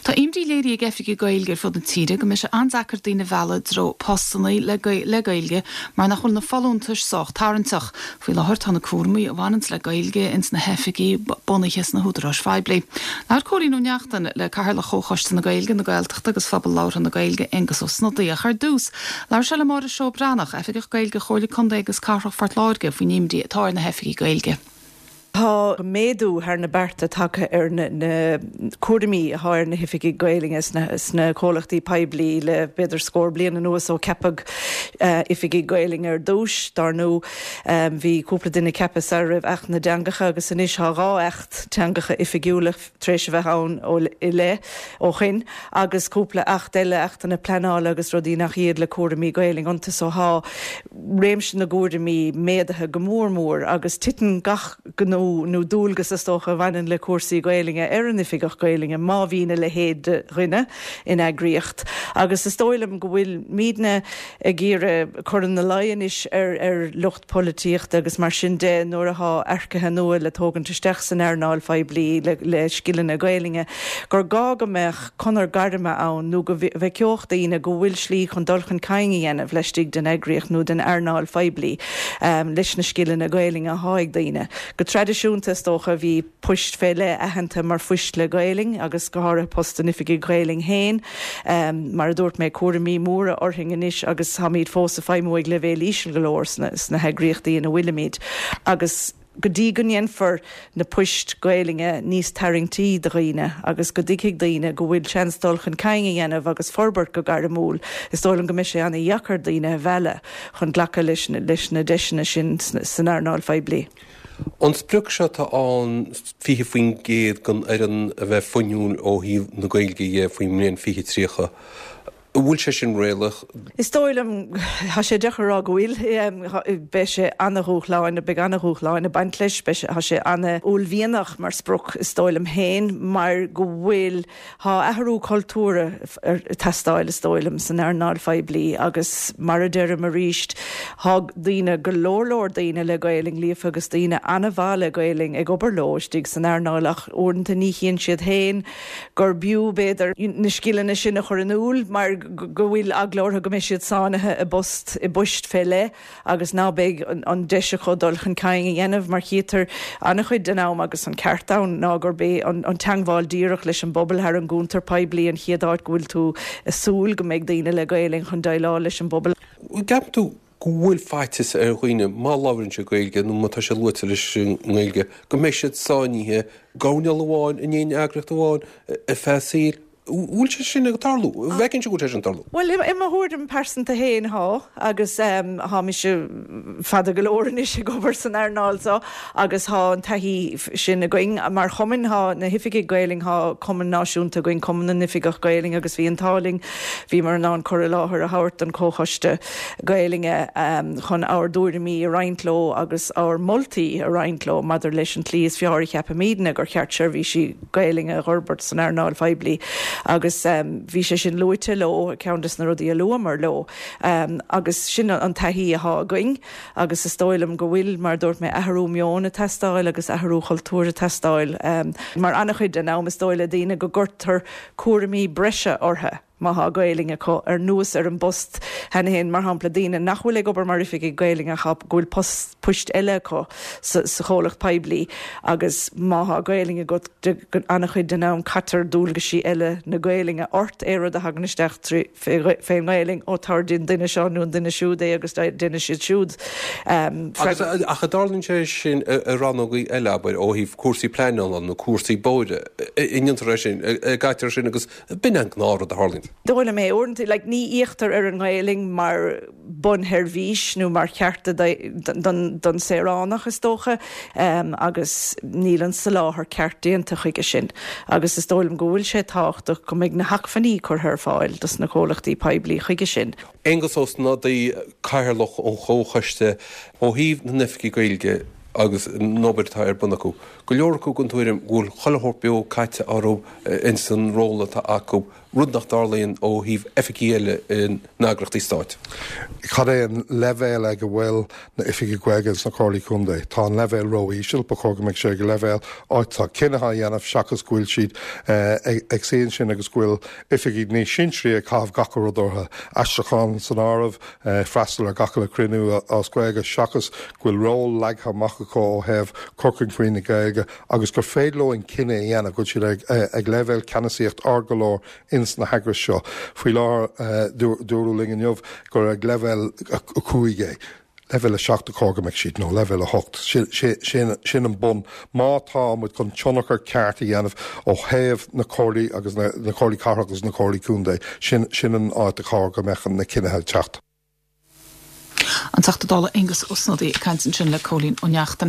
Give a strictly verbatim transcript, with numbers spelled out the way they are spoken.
Tá imní léirithe ag oifigigh Gaeilge ar fud na tíre go mbeidh sé an-deacair daoine a mhealladh i dtreo postanna le le Gaeilge mar nach bhfuil na folúntais sách tarraingteach. Faoi láthair tá na cúraimí a bhaineann le Gaeilge ins na hoifigí bunaithe sna húdaráis phoiblí. Labhair Cóilín Ó Neachtain le Cathaoirleach Chomhchoiste na Gaeilge na Gaeltachta agus Phobal Labhartha na Gaeilge Aengus Ó Snodaigh ar dtús. Labhair sé le Máire Seó Breathnach, Oifigeach Gaeilge Chomhairle Contae agus Cathrach Phort Láirge faoin imní atá ar na hoifigigh Gaeilge. Tá méadú thar na bearta tagtha ar na, na cúraimí atá ar na hoifigigh Gaeilge sna, sna comhlachtaí poiblí le b'fhéidir scór bliain anuas ó ceapadh uh, oifigigh Gaeilge ar dtús dar ndóigh um, bhí cúpla duine ceaptha sar roimh Acht na dTeangacha agus anois tá dhá acht teangacha oifigiúla tar éis a bheith ann ó i le ó shin agus cúpla acht eile achtanna pleanála agus rudaí nach iad le cúraimí Gaeilge iontu so tá réimse na gcúraimí méadaithe go mór mór agus titeann gach gnó nó dualgas is dócha a bhaineann le cúrsaí Gaeilge ar an oifigeach Gaeilge má bhíonn a leithéid de dhuine in eagraíocht. Agus is dóigh liom go bhfuilimidne ag iarraidh cur ina luí anois ar ar lucht polaitíochta agus mar sin de nuair atá earcaithe nua le tógaint isteach san earnáil phoiblí le, le scileanna Gaeilge, gur gá go mbeadh conair gairme ann nó go bhfeicfeadh daoine go bhfuil slí chun dul chun cinn a dhéanamh laistigh den eagraíocht nó den earnáil phoiblí um, leis na scileanna Gaeilge atá ag daoine. Go traidisiúnta is dócha bhí poist fé leith aitheanta mar phoist le Gaeilge agus go háirithe post an oifigigh Gaeilge féin um, mar a dúirt mé cúraimí móra orainn anois agus táimid fós ag feidhmiú ag leibhéal íseal go leor sna, sna heagraíochtaí ina bhfuilimid. Agus go dtí go ndéanfar na poist Gaeilge níos tarraingtí do dhaoine agus go dtuigfidh daoine go bhfuil seans dul chun cinn a dhéanamh agus forbairt go gairmiúil. Is dóigh liom go mbeidh sé an-deacair daoine a mhealladh chun glacadh leis, leis na deiseanna sin san earnáil phoiblí. An sprioc seo atá ann fiche faoin gcéad den fhoireann a bheith fuinniúil ó thaobh na Gaeilge dhe faoin mbliain fiche tríocha. Bhfuil sé sin réalaíoch? Is dóigh liom tá sé deacair rá go bhfuil beidh sé an-dúshlánach beidh an-dúshláin ag baint leis tá sé an-uaillmhianach mar sprioc is dóigh liom féin mar go bhfuil tá athrú cultúir ag teastáil is dóigh liom san earnáil phoiblí agus mar a deirim arís tá daoine go leor leor daoine le Gaeilge líofa agus daoine an-mhaith le Gaeilge ag obair leo istigh san earnáil ach uaireanta ní chíonn siad féin gur b'fhiú b'fhéidir na scileanna sin a chur in iúl mar go bhfuil eagla orthu go mbeidh siad sáinnithe i bpost i bpoist fé leith agus ná beidh an, an deis acu dul chun cinn a dhéanamh mar chítear an-chuid den am agus an ceart ann ná gurb é an, an teagmháil díreach leis an bpobal thar an gcuntar poiblí an chéad áit go bhfuil tú ag súil go mbeidh daoine le Gaeilge chun déileáil leis an bpobal. Ceapann tú go bhfuil faitíos ar dhaoine má labhraíonn siad Gaeilge nó má tá sé luaite leis an nGaeilge, go mbeidh siad sáinnithe i gcoirnéal amháin in aon eagraíocht amháin ar feadh a saoil. Bhfuil sé sin ag tarlú? Bhfeiceann sé go bhfuil sé sin tarlú? Well i mo thuairim pearsanta féin tá agus um, tá mise fada go leor anois ag obair san earnáil seo agus tá an taithí sin againn mar chumann tá na hoifigigh Gaeilge tá cumann náisiúnta againn Cumann na nOifigeach Gaeilge agus bhí an t-ádh linn bhíomar in ann cur i láthair a thabhairt don Chomhchoiste Gaeilge um, chun ár dtuairimí a roinnt leo agus ár moltaí a roinnt leo maidir leis an tslí is fearr a cheapaimidne gur cheart seirbhísí Gaeilge a fhorbairt san earnáil phoiblí. agus um, bhí sé sin luaite leo ceann des na rudaí a luamar leo um, agus sin an taithí atá againn agus is dóigh liom go bhfuil mar dúirt mé athrú meoin ag teastáil agus athrú cultúir ag teastáil um, mar an-chuid den am is dóigh le daoine go gcuirtear cúraimí breise orthu. Má tá Gaeilge acu ar nós ar an bpost cheana féin mar shampla daoine nach bhfuil ag obair mar oifigigh Gaeilge ach go bhfuil post poist eile acu sa, sa chomhlacht poiblí agus má tá Gaeilge agat an-chuid den am caitear dualgaisí eile na Gaeilge ort é rud a thagann isteach fén nGaeilge ó tar den duine seo nó an duine siúd é agus duine siad siúd. Um, agus ach an dtarlaíonn sé sin i rannógaí eile abair ó thaobh cúrsaí pleanála nó cúrsaí bóithre an ndéantar é sin gaitear sin agus b'in an gnáthrud a tharlaíonn. Dóigh liom é uaireanta like, ní fhéachtar ar an nGaeilge mar bunsheirbhís nó mar chearta don, don saoránach is dócha um, agus níl an soláthar ceart déanta chuige sin. Agus is dóigh liom go bhfuil sé tábhachtach go mbeidh na hacmhainní curtha ar fáil dos na comhlachtaí poiblí chuige sin. Aengus Ó Snodaigh, Cathaoirleach an Chomhchoiste ó thaobh na n-oifigí Gaeilge agus an obair atá ar bun acu. Go leor acu den tuairim go bhfuil chuile shórt beo caite orthu ins an ról atá acu, rud nach dtarlaíonn ó thaobh oifigí eile in eagraíochtaí stáit. Cad é an leibhéal ag a bhfuil na oifigigh Gaeilge sna comhairlí contae? Tá an leibhéal ró-íseal, ba chóir go mbeadh sé ag leibhéal áit tá cinneadh á dhéanamh seachas go bhfuil siad ag suí ansin agus go bhfuil oifigigh níos sinsearaí ag caitheamh gach rud orthu, aistriúchán san áireamh, freastal ar gach uile chruinniú as Gaeilge seachas go bhfuil ról leagtha amach acu ó thaobh cur chun cinn na Gaeilge agus gur féidir leo an cinneadh a dhéanamh go bhfuil siad ag leibhéal ceannasaíocht ard go leor ins na heagrais seo. Faoi láthair, dúradh linn inniu gur ag leibhéal a cúig é. Leibhéal a seacht a chóir go mbeadh siad, nó leibhéal a hocht. Sin an bun. Má tá muid chun tionchar ceart a dhéanamh ó thaobh na comhairlí agus na comhairlí cathrach agus na comhairlí contae, sin an áit a chóir go mbeadh na cinnithe ag teacht. An Teachta Dála Aengus Ó Snodaigh ag caint ansin le Cóilín Ó Neachtain.